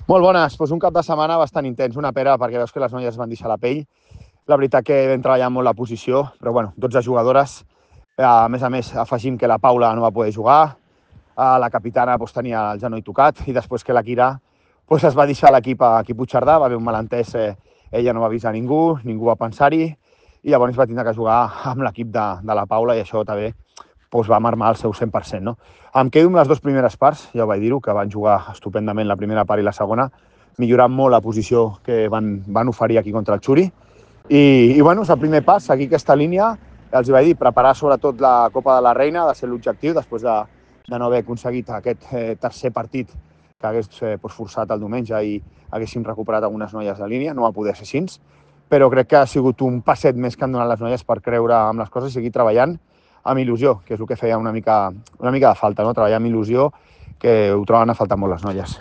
Molt bones, doncs un cap de setmana bastant intens, una pera perquè veus que les noies van deixar la pell. La veritat que vam treballar molt la posició, però bueno, 12 jugadores. A més, afegim que la Paula no va poder jugar, la capitana doncs, tenia el genoll tocat i després que la Kira doncs, es va deixar l'equip aquí a Puigcerdà, va haver un malentès, ella no va avisar ningú, ningú va pensar-hi i llavors va tindre que jugar amb l'equip de la Paula i això també doncs va marmar el seu 100%. No? Em quedo amb les dues primeres parts, ja ho vaig dir-ho, que van jugar estupendament la primera part i la segona, millorant molt la posició que van oferir aquí contra el Xuri. I bueno, és el primer pas, seguir aquesta línia. Els vaig dir, preparar sobretot la Copa de la Reina, de ser l'objectiu, després de no haver aconseguit aquest tercer partit que hagués forçat el diumenge i haguéssim recuperat algunes noies de línia, no va poder ser així, però crec que ha sigut un passet més que han donat les noies per creure amb les coses i seguir treballant amb il·lusió, que és el que feia una mica de falta, no? Treballar amb il·lusió, que ho troben a faltar molt les noies.